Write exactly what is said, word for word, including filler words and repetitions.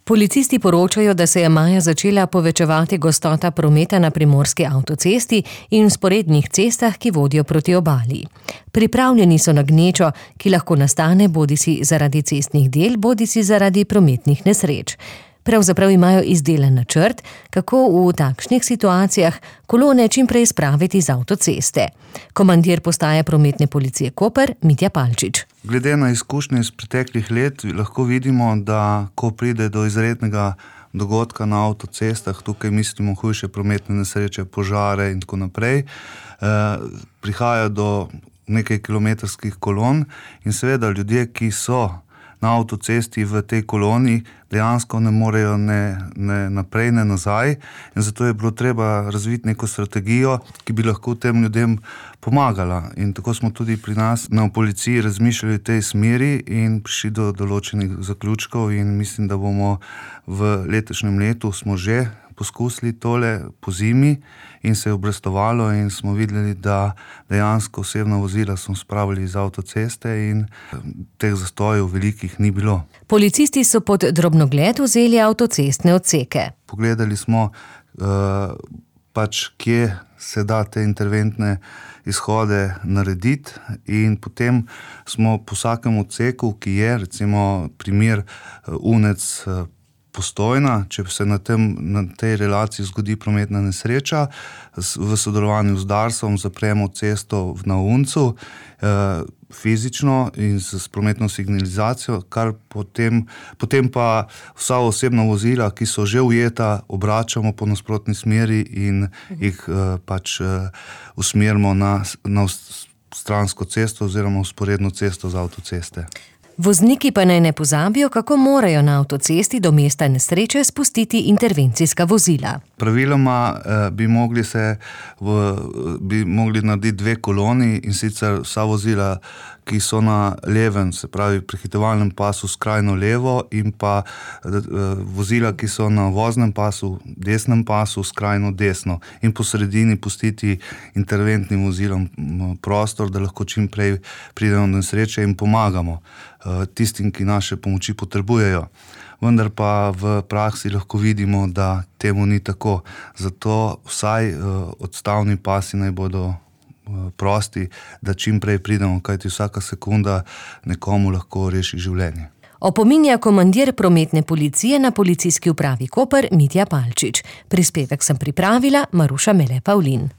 Policisti poročajo, da se je maja začela povečevati gostota prometa na primorski avtocesti in vzporednih cestah, ki vodijo proti obali. Pripravljeni so na gnečo, ki lahko nastane bodisi zaradi cestnih del, bodisi zaradi prometnih nesreč. Pravzaprav imajo izdelan načrt, kako v takšnih situacijah kolone čim prej spraviti z avtoceste. Komandir postaje prometne policije Koper, Mitja Palčič. Glede na izkušnje iz preteklih let lahko vidimo, da ko pride do izrednega dogodka na avtocestah, tukaj mislimo hujše prometne nesreče, požare in tako naprej, eh, prihaja do nekaj kilometrskih kolon in seveda ljudje, ki so na avtocesti v tej koloni, dejansko ne morejo ne, ne naprej, ne nazaj in zato je bilo treba razviti neko strategijo, ki bi lahko tem ljudem pomagala. In tako smo tudi pri nas na policiji razmišljali v tej smeri in prišli do določenih zaključkov in mislim, da bomo v letošnjem letu smo že poskusili tole po zimi in se je obrestovalo in smo videli, da dejansko osebna vozila smo spravili iz avtoceste in teh zastojev velikih ni bilo. Policisti so pod drobnogled vzeli avtocestne odseke. Pogledali smo uh, pač, kje se da te interventne izhode narediti in potem smo po vsakem odseku, ki je recimo primer uh, Unec uh, Postojna, če se na, tem, na tej relaciji zgodi prometna nesreča, v sodelovanju z Darsom zapremo cesto na Uncu eh, fizično in s prometno signalizacijo, kar potem, potem pa vsa osebna vozila, ki so že ujeta, obračamo po nasprotni smeri in jih eh, pač eh, usmerimo na, na stransko cesto oziroma vzporedno cesto z avtoceste. Vozniki pa naj ne pozabijo, kako morajo na avtocesti do mesta nesreče spustiti intervencijska vozila. Praviloma eh, bi mogli se v, bi mogli narediti dve koloni in sicer vsa vozila, ki so na levem, se pravi prehitevalnem pasu skrajno levo in pa eh, vozila, ki so na voznem pasu, desnem pasu skrajno desno in po sredini pustiti interventnim vozilom prostor, da lahko čim prej pridemo do nesreče in pomagamo tistim, ki naše pomoči potrebujejo. Vendar pa v praksi lahko vidimo, da temu ni tako. Zato vsaj odstavni pasi naj bodo prosti, da čim prej pridemo, kajti vsaka sekunda nekomu lahko reši življenje. Opominja komandir prometne policije na policijski upravi Koper, Mitja Palčič. Prispevek sem pripravila Maruša Mele Pavlin.